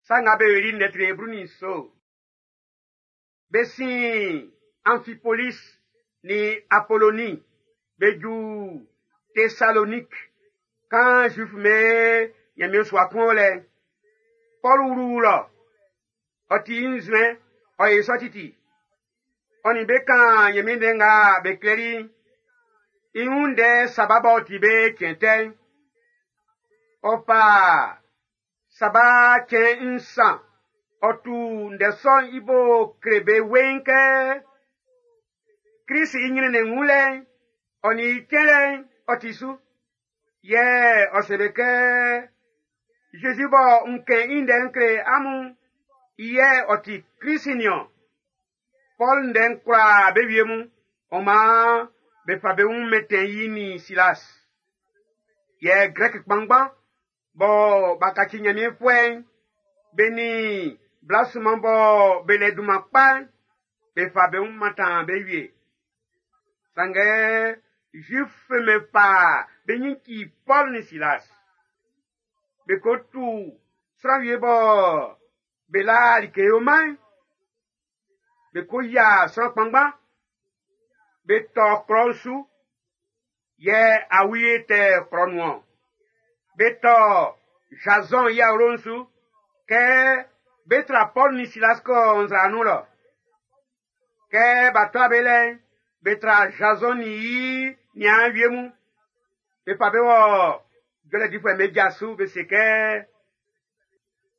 Sa Nga Be Yoli'n ndɛ tre 17. Be sin Amfipolis nin Apoloni be ju Tesalonik kan Zuif'm be Nyanmiɛn sua kun o lɛ'n. Pɔl wlu lɔ, ɔ ti i nzuɛn, ɔ yo sɔ titi. Ɔ nin be kan Nyanmiɛn ndɛ nga be klɛli'n, i wun ndɛ saba b'ɔ ti be cɛn tɛ'n. Ɔ fa saba cɛn nsan ɔ tu ndɛ sɔ'n i bo kle be weiin kɛ Krist i nyrɛnnɛn wunlɛ'n, ɔ nin i cɛnlɛ'n ɔ ti su. Yɛ ɔ se be kɛ, Jésus bɔ n kɛn i ndɛ n kle amun'n, i yɛ ɔ ti Krist nin-ɔn. Pɔl ndɛ'n kwlaa be wie mun, ɔ maan be fa be wun mɛntɛn i nin Silas. Yɛ Grɛk kpanngban bɔ b'a kaci Nyanmiɛnfuɛ'n, be nin bla sunman bɔ be lɛ dunman kpa'n, be fa be wun mantan be wie. Sanngɛ Zuif'm be fa be nyin ci Pɔl nin Silas. Be ko tu sran wie bɔ be la like yoman'n, be ko yia sran kpanngban, be tɔ klɔ'n su, yɛ awie tɛ klɔ nun-ɔn. Be tɔ Jason i awlo'n su kɛ be tra Pɔl nin Silas kɔ nzra nun lɔ. Kɛ b'a tɔ be lɛ'n, be tra Jason nin i niaan wie mun. Be fa be wɔ jɔlɛ difuɛ'm be ja su be se kɛ,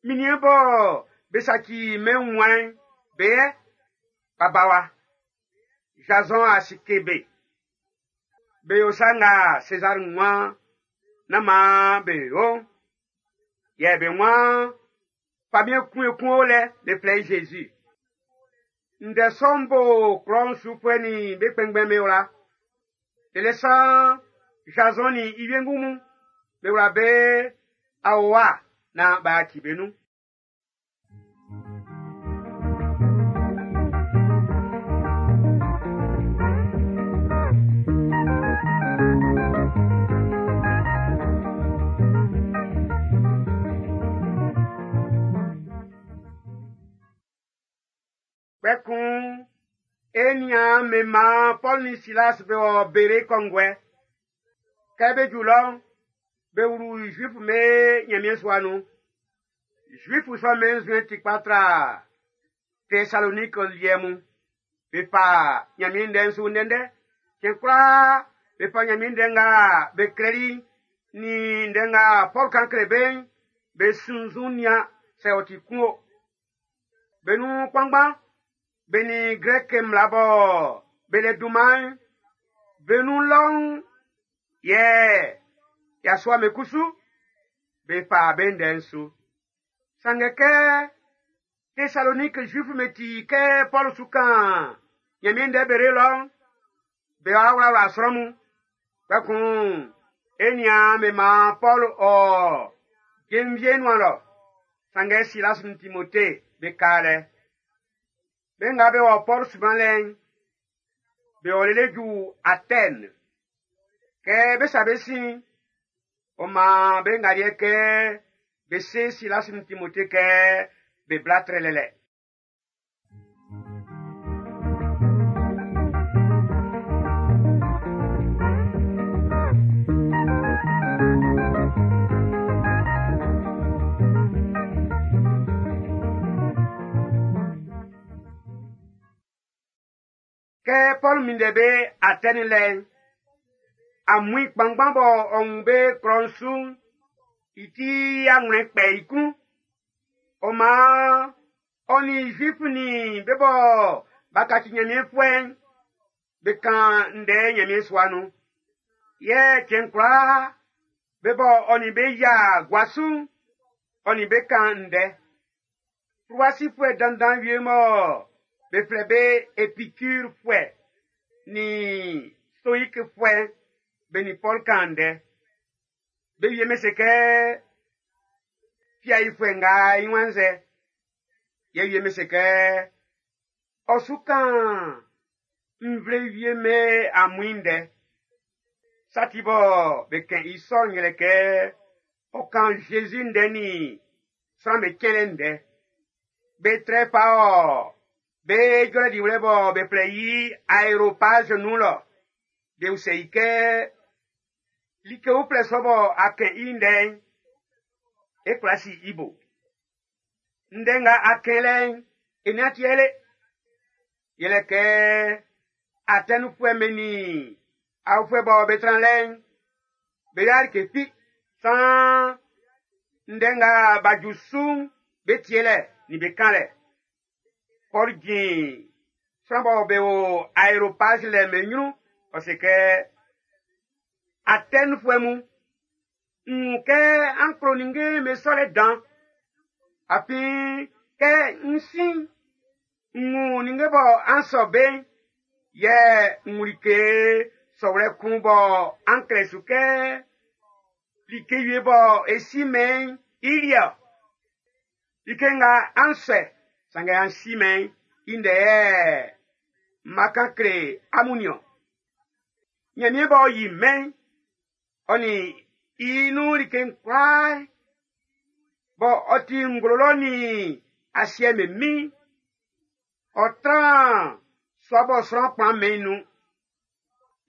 Minniɛn bɔ be saci mɛn wunmuan'n, be yɛ, b'a ba wa. Jason a sike be. Be yo sa nga Sezar waan nán maan be yo'n. Yɛ be waan famiɛn kun ekun o lɛ, be flɛ i Jésus. Ndɛ sɔ'n bo klɔ'n sufuɛ nin be kpɛnngbɛn'm be wla. Lele san Jason nin i wiengu mun, be wla be aowa naan b'a ci be nun. Kpɛkun e niaan be maan Pɔl nin Silas be wɔ Bere kɔnguɛ. Kɛ be ju lɔ'n, be wlu Zuif'm be Nyanmiɛn sua nun. Zuif sɔ'm be nzuɛn ti kpa tra Tesalonik liɛ mun. Be fa Nyanmiɛn ndɛ'n su ndɛndɛ. Cɛn kwlaa be fa Nyanmiɛn ndɛ nga be klɛli'n nin ndɛ nga Pɔl kan kle be'n, be sunnzun nian sɛ ɔ ti kun o. Be nun kpanngban be nin Grɛk mmla bɔ be le dunman'n, be nun lɔ'n, yɛ yasua me kusu, be fa be ndɛ'n su. Sanngɛ kɛ Tesalonik Zuif'm be ti kɛ Pɔl su kan Nyanmiɛn ndɛ Bere lɔ'n, be wa wlawla sran mun. Kpɛkun e niaan be maan Pɔl ɔ jenvie nuan lɔ. Sanngɛ Silas nin Timote be ka lɛ. Be nga be wɔ Pɔl sunmanlɛ'n, be wɔ lele ju Atɛn. Kɛ be sa be sin, ɔ maan be ngaliɛ kɛ be se Silas nin Timote kɛ be bla trɛlɛlɛ. Kɛ Pɔl minndɛ be Atɛni lɛ'n, amuin kpanngban bɔ ɔ wun be klɔ'n su'n, i ti anwlɛn kpɛ i klun. Ɔ maan ɔ nin Zuif nin be bɔ b'a kaci Nyanmiɛnfuɛ'n, be kan ndɛ Nyanmiɛn sua nun. Yɛ cɛn kwlaa, be bɔ ɔ nin be yia gua su'n, ɔ nin be kan ndɛ. Fluwa sifuɛ dandan wie mɔ be flɛ be Epikurfuɛ nin Stoikfuɛ be nin Pɔl kan ndɛ. Be wie me se kɛ fiaifuɛ nga i wanzɛ, yɛ wie me se kɛ ɔ su kan nvle wie me amuin ndɛ. Sa ti bɔ be kɛn i sɔ'n yɛlɛ kɛ ɔ kan Jésus ndɛ nin Sran'm be cɛnlɛ ndɛ. Be trɛ fa ɔ be jɔlɛ diwlɛ bɔ be flɛ i aéropage nun lɔ. Be usɛ i kɛ, like uflɛ sɔ bɔ a kɛn i ndɛ'n, e kwla si i bo. Ndɛ nga a kɛn lɛ'n, e nin-a tie le. Yɛlɛ kɛ Atɛnifuɛ'm be nin aofuɛ bɔ be tran lɛ'n, be yo'a like fi, saan ndɛ nga b'a ju su'n be tielɛ nin be kanlɛ. Pɔl jin sran bɔ be o aéropage lɛ'n be nyrun, ɔ se kɛ, Atɛnifuɛ mun, n wun kɛ an klo ninnge'm be sɔlɛ dan. Afin kɛ n sin, n wun ninnge bɔ an sɔ be'n, yɛ n wun like sɔwlɛ kun bɔ an klɛ su kɛ like wie bɔ e si-mɛn i liɛ-ɔ. Like nga an sɔɛ, sanngɛ an si-mɛn i ndɛ yɛ m ma kan kle amun nin-ɔn. Nyanmiɛn b'ɔ yi mɛn'n, ɔ nin i nun like'n kwlaa, bɔ ɔ ti nglo lɔ nin asiɛ'n be min'n, ɔ tran sua bɔ sran kplan mɛn'n nun.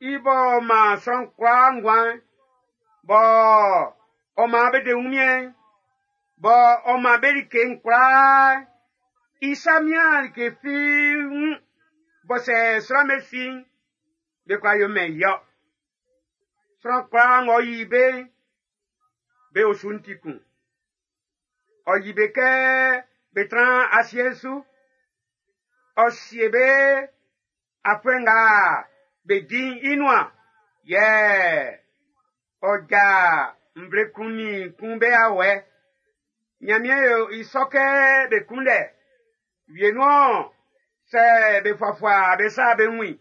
I b'ɔ man sran kwlaa nguan'n, bɔ ɔ man be de wunmiɛn'n, bɔ ɔ man be like'n kwlaa, i sa mian like fi wun, bɔ sɛ sran be si'n, be kwla yo mɛn i-ɔ. Sran kwlaa ng'ɔ yi be'n, be osu'n ti kun. Ɔ yi be kɛ be tran asiɛ'n su. Ɔ sie be afuɛ nga be di'n i nuan, yɛ ɔ ja nvle kun nin kun be awɛ. Nyanmiɛn yo i sɔ kɛ be kunndɛ. Wienun-ɔn, sɛ be fuafua be sa be wun i.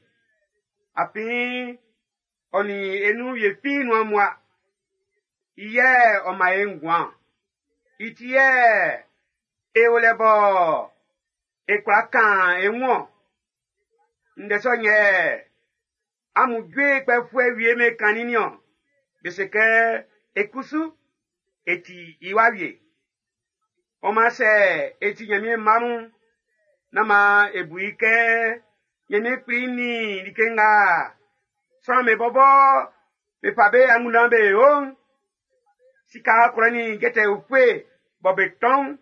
Afin ɔ nin e nun wie fi nuan mua. I yɛ ɔ man e nguan. I ti yɛ e o lɛ bɔ e kwla kan e wun-ɔn. Ndɛ sɔ'n yɛ amun jue kpɛfuɛ wie me kannin nin-ɔn. Be se kɛ e kusu e ti i wa wie. Ɔ man sɛ e ti Nyanmiɛn mma mun'n, nán man e bu i kɛ Nyanmiɛn Kpli nin like nga sran'm be bɔbɔ be fa be angunndan be yo'n, sika ɔkwlɛ nin jɛtɛ ufue bɔ be tɔn'n,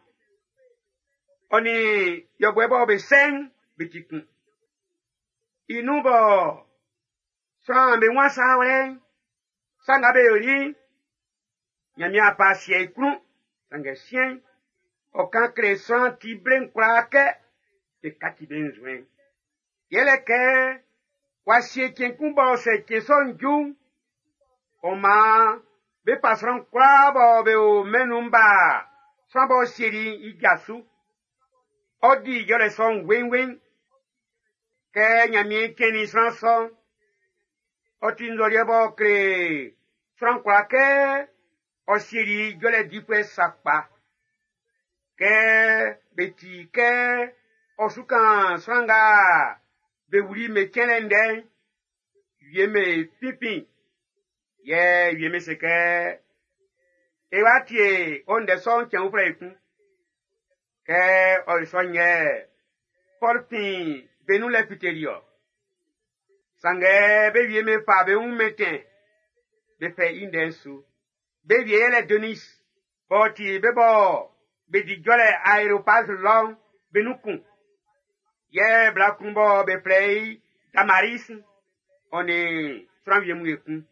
ɔ nin yɔbuɛ bɔ be sɛ'n, be ti kun. I nun bɔ sran'm be wun sa wlɛ'n, sa nga be yoli'n, Nyanmiɛn a fa sie i klun, sanngɛ siɛn'n, ɔ kan kle sran ti ble'n kwlaa kɛ be kaci be nzuɛn'n. Yɛlɛ kɛ w'a sie cɛn kun bɔ sɛ cɛn sɔ'n ju'n, ɔ maan be fa sran kwlaa bɔ be o mɛn'n nun'n ba sran b'ɔ sieli'n i ja su. Ɔ di jɔlɛ sɔ'n weinwein. Kɛ Nyanmiɛn cɛnnin sran sɔ'n, ɔ ti nzɔliɛ b'ɔ kle sran kwlaa kɛ ɔ sieli jɔlɛ difuɛ sakpa. Kɛ be ti kɛ ɔ su kan sran nga be wuli me cɛnlɛ ndɛ'n, wie me finfin, yɛ wie me se kɛ, e wa tie o ndɛ sɔ'n cɛn uflɛ ekun. Kɛ ɔ yo sɔ'n yɛ Pɔl fin be nun lɛ fiteli-ɔ. Sanngɛ be wie me fa be wun mɛntɛn, be fɛ i ndɛ'n su. Be wie yɛlɛ Denis, b'ɔ ti be bɔ be di jɔlɛ aéropage lɔ'n be nun kun. Yɛ bla kun bɔ be flɛ i Damaris, ɔ nin sran wie mun ekun.